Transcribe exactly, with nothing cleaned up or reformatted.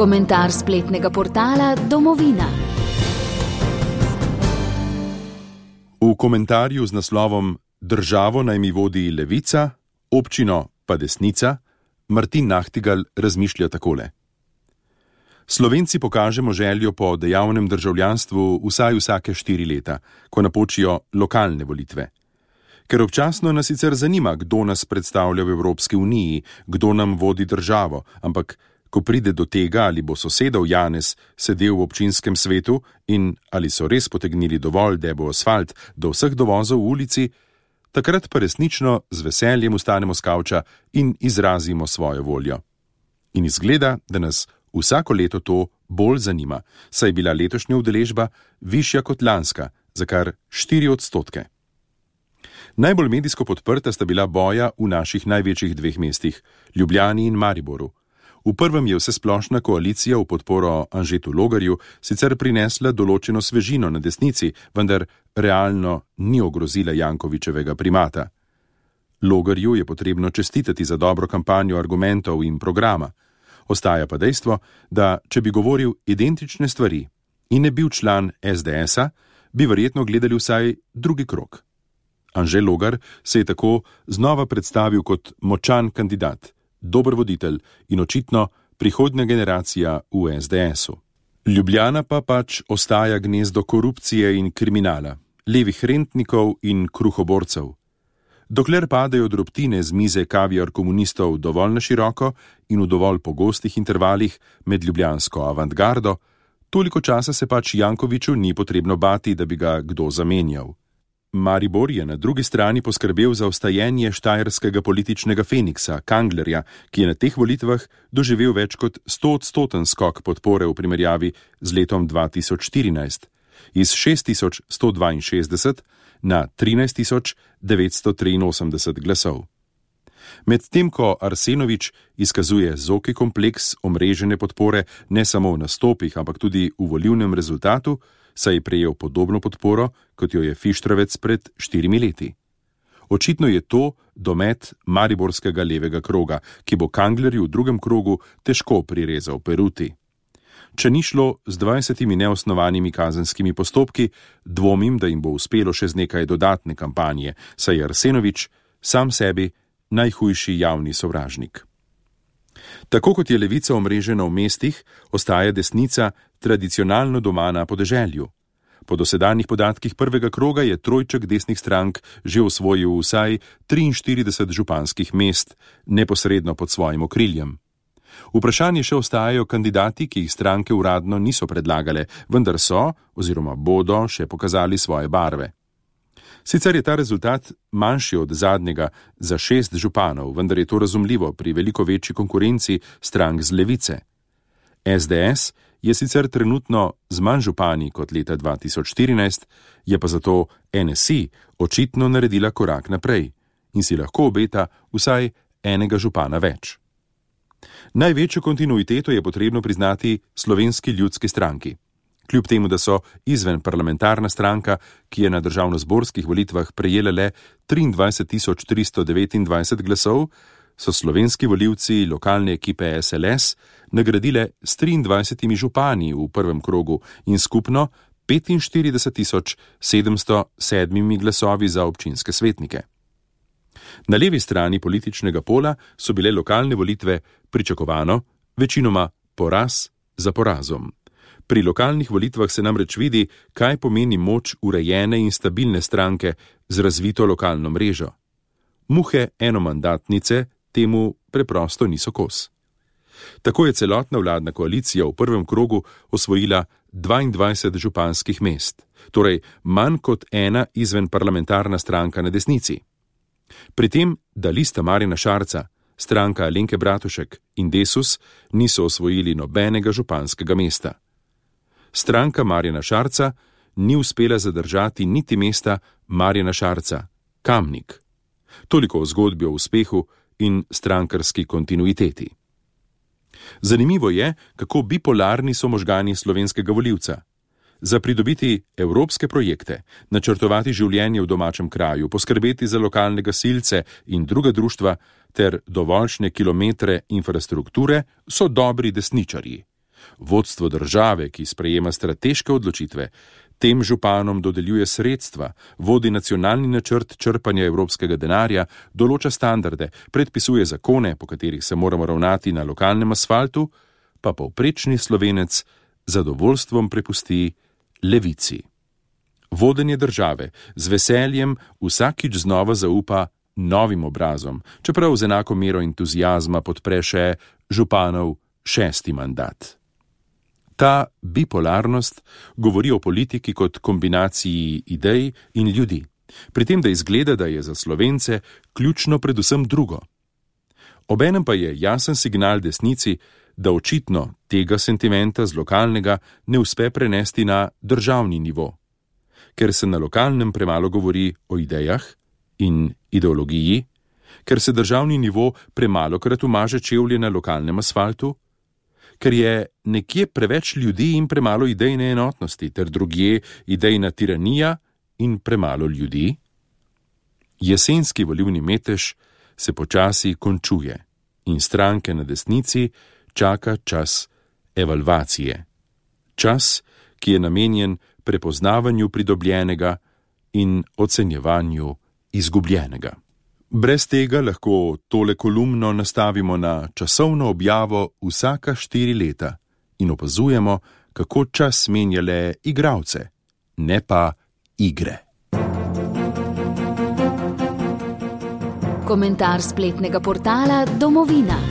Komentar spletnega portala Domovina. V komentarju z naslovom Državo naj mi vodi levica, občino pa desnica, Martin Nahtigal razmišlja takole. Slovenci pokažemo željo po dejavnem državljanstvu vsaj vsake štiri leta, ko napočijo lokalne volitve. Ker občasno nas sicer zanima, kdo nas predstavlja v Evropski uniji, kdo nam vodi državo, ampak ko pride do tega, ali bo sosedov Janez sedel v občinskem svetu in ali so res potegnili dovolj debo asfalt do vseh dovozov v ulici, takrat pa resnično z veseljem ustanemo s kavča in izrazimo svojo voljo. In izgleda, da nas vsako leto to bolj zanima, saj je bila letošnja udeležba višja kot lanska, za kar štiri odstotke. Najbolj medijsko podprta sta bila boja v naših največjih dveh mestih, Ljubljani in Mariboru. V prvem je vsesplošna koalicija v podporo Anžetu Logarju sicer prinesla določeno svežino na desnici, vendar realno ni ogrozila Jankovićevega primata. Logarju je potrebno čestitati za dobro kampanjo argumentov in programa. Ostaja pa dejstvo, da če bi govoril identične stvari in ne bil član es de esa, bi verjetno gledali vsaj drugi krog. Anže Logar se je tako znova predstavil kot močan kandidat, dober voditelj in očitno prihodnja generacija v es de esu. Ljubljana pa pač ostaja gnezdo korupcije in kriminala, levih rentnikov in kruhoborcev. Dokler padajo drobtine z mize kaviar komunistov dovolj na široko in v dovolj pogostih intervalih med ljubljansko avantgardo, toliko časa se pač Jankoviću ni potrebno bati, da bi ga kdo zamenjal. Maribor je na drugi strani poskrbel za ostajenje štajerskega političnega feniksa, Kanglerja, ki je na teh volitvah doživel več kot stoodstoten skok podpore v primerjavi z letom dva tisoč štirinajst, iz šest tisoč sto dvainšestdeset na trinajst tisoč devetsto triinosemdeset glasov. Medtem ko Arsenović izkazuje zoki kompleks omrežene podpore ne samo v nastopih, ampak tudi v volilnem rezultatu, saj je prejel podobno podporo, kot jo je Fištravec pred štirimi leti. Očitno je to domet mariborskega levega kroga, ki bo Kanglerju v drugem krogu težko prirezal peruti. Če ni šlo z dvajsetimi neosnovanimi kazenskimi postopki, dvomim, da jim bo uspelo še z nekaj dodatne kampanje, saj je Arsenović sam sebi najhujši javni sovražnik. Tako kot je levica omrežena v mestih, ostaja desnica tradicionalno doma na podeželju. Po dosedanjih podatkih prvega kroga je trojček desnih strank že osvojil vsaj triinštirideset županskih mest, neposredno pod svojim okriljem. Vprašanje še ostajajo kandidati, ki jih stranke uradno niso predlagale, vendar so, oziroma bodo, še pokazali svoje barve. Sicer je ta rezultat manjši od zadnjega za šest županov, vendar je to razumljivo pri veliko večji konkurenci strank z levice. es de es je sicer trenutno z manj župani kot leta dva tisoč štirinajst, je pa zato en es i očitno naredila korak naprej in si lahko obeta vsaj enega župana več. Največjo kontinuiteto je potrebno priznati Slovenski ljudski stranki. Kljub temu, da so izven parlamentarna stranka, ki je na državnozborskih volitvah prejela le triindvajset tisoč tristo devetindvajset glasov, so slovenski volivci lokalne ekipe es el es nagradile s triindvajsetimi župani v prvem krogu in skupno petinštirideset tisoč sedemsto sedmimi glasovi za občinske svetnike. Na levi strani političnega pola so bile lokalne volitve pričakovano, večinoma poraz za porazom. Pri lokalnih volitvah se namreč vidi, kaj pomeni moč urejene in stabilne stranke z razvito lokalno mrežo. Muhe enomandatnice temu preprosto niso kos. Tako je celotna vladna koalicija v prvem krogu osvojila dvaindvajset županskih mest, torej manj kot ena izven parlamentarna stranka na desnici. Pri tem, da lista Marjana Šarca, stranka Alenke Bratušek in Desus niso osvojili nobenega županskega mesta. Stranka Marjana Šarca ni uspela zadržati niti mesta Marjana Šarca, Kamnik. Toliko o zgodbi o uspehu in strankarski kontinuiteti. Zanimivo je, kako bipolarni so možgani slovenskega volivca. Za pridobiti evropske projekte, načrtovati življenje v domačem kraju, poskrbeti za lokalne gasilce in druga društva ter dovoljšne kilometre infrastrukture so dobri desničarji. Vodstvo države, ki sprejema strateške odločitve, tem županom dodeljuje sredstva, vodi nacionalni načrt črpanja evropskega denarja, določa standarde, predpisuje zakone, po katerih se moramo ravnati na lokalnem asfaltu, pa povprečni Slovenec zadovoljstvom prepusti levici. Vodenje države z veseljem vsakič znova zaupa novim obrazom, čeprav z enako mero entuzijazma podpre še županov šesti mandat. Ta bipolarnost govori o politiki kot kombinaciji idej in ljudi, pri tem, da izgleda, da je za Slovence ključno predvsem drugo. Obenem pa je jasen signal desnici, da očitno tega sentimenta z lokalnega ne uspe prenesti na državni nivo, ker se na lokalnem premalo govori o idejah in ideologiji, ker se državni nivo premalokrat umaže čevlje na lokalnem asfaltu, ker je nekje preveč ljudi in premalo idejne enotnosti, ter drugje idejna tiranija in premalo ljudi. Jesenski volilni metež se počasi končuje in stranke na desnici čaka čas evalvacije. Čas, ki je namenjen prepoznavanju pridobljenega in ocenjevanju izgubljenega. Brez tega lahko tole kolumno nastavimo na časovno objavo vsaka štiri leta in opazujemo, kako čas menja le igralce, ne pa igre. Komentar spletnega portala Domovina.